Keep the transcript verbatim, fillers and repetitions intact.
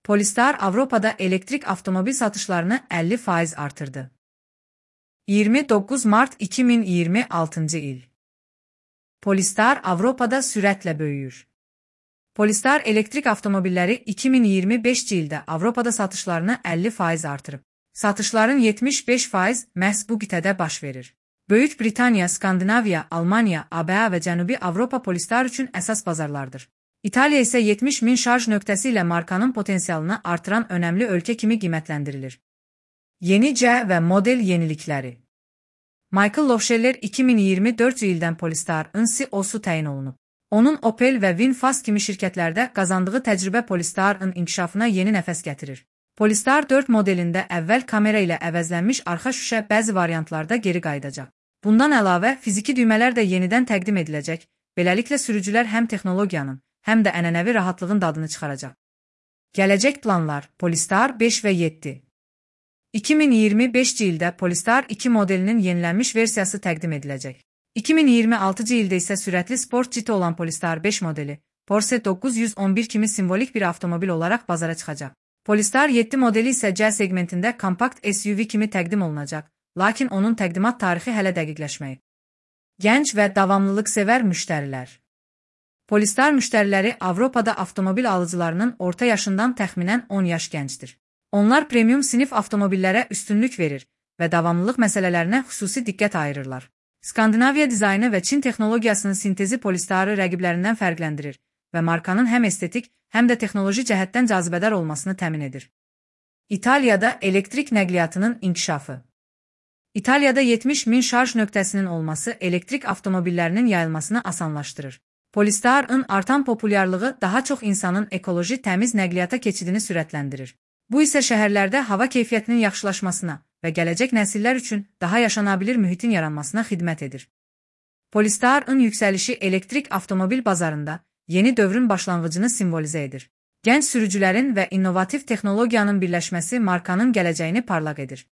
Polestar Avropada elektrik avtomobil satışlarını əlli faiz artırdı. iyirmi doqquz mart iki min iyirmi altıncı il. Polestar Avropada sürətlə böyüyür. Polestar elektrik avtomobilləri iki min iyirmi beşinci ildə Avropada satışlarını əlli faiz artırıb. Satışların yetmiş beş faiz məhz bu qitədə baş verir. Böyük Britaniya, Skandinaviya, Almaniya, A B A və Cənubi Avropa Polestar üçün əsas bazarlardır. İtaliya isə yetmiş min şarj nöqtəsi ilə markanın potensialını artıran önəmli ölkə kimi qiymətləndirilir. Yenicə və model yenilikləri. Michael Lohscheller iki min iyirmi dördüncü ildən Polestar'ın C E O-su təyin olunub. Onun Opel və VinFast kimi şirkətlərdə qazandığı təcrübə Polestar'ın inkişafına yeni nəfəs gətirir. Polestar dörd modelində əvvəl kamera ilə əvəzlənmiş arxa şüşə bəzi variantlarda geri qayıdacaq. Bundan əlavə, fiziki düymələr də yenidən təqdim ediləcək, beləliklə sürücülər həm texnologiyanın, həm də ənənəvi rahatlığın dadını çıxaracaq. Gələcək planlar: Polestar beş və yeddi. iki min iyirmi beşinci ildə Polestar iki modelinin yenilənmiş versiyası təqdim ediləcək. iki min iyirmi altıncı ildə isə sürətli sport citi olan Polestar beş modeli, Porsche doqquz yüz on bir kimi simvolik bir avtomobil olaraq bazara çıxacaq. Polestar yeddi modeli isə C segmentində kompakt S U V kimi təqdim olunacaq, lakin onun təqdimat tarixi hələ dəqiqləşməyib. Gənc və davamlılıqsevər müştərilər. Polestar müştəriləri Avropada avtomobil alıcılarının orta yaşından təxminən on yaş gəncdir. Onlar premium sinif avtomobillərə üstünlük verir və davamlılıq məsələlərinə xüsusi diqqət ayırırlar. Skandinaviya dizaynı və Çin texnologiyasının sintezi Polestar'ı rəqiblərindən fərqləndirir və markanın həm estetik, həm də texnoloji cəhətdən cazibədar olmasını təmin edir. İtaliyada elektrik nəqliyyatının inkişafı. İtaliyada yetmiş min şarj nöqtəsinin olması elektrik avtomobillərinin yayılmasını asanlaşdırır. Polestar'ın artan populyarlığı daha çox insanın ekoloji təmiz nəqliyyata keçidini sürətləndirir. Bu isə şəhərlərdə hava keyfiyyətinin yaxşılaşmasına və gələcək nəsillər üçün daha yaşanabilir mühitin yaranmasına xidmət edir. Polestar'ın yüksəlişi elektrik avtomobil bazarında yeni dövrün başlanğıcını simvolizə edir. Gənc sürücülərin və innovativ texnologiyanın birləşməsi markanın gələcəyini parlaq edir.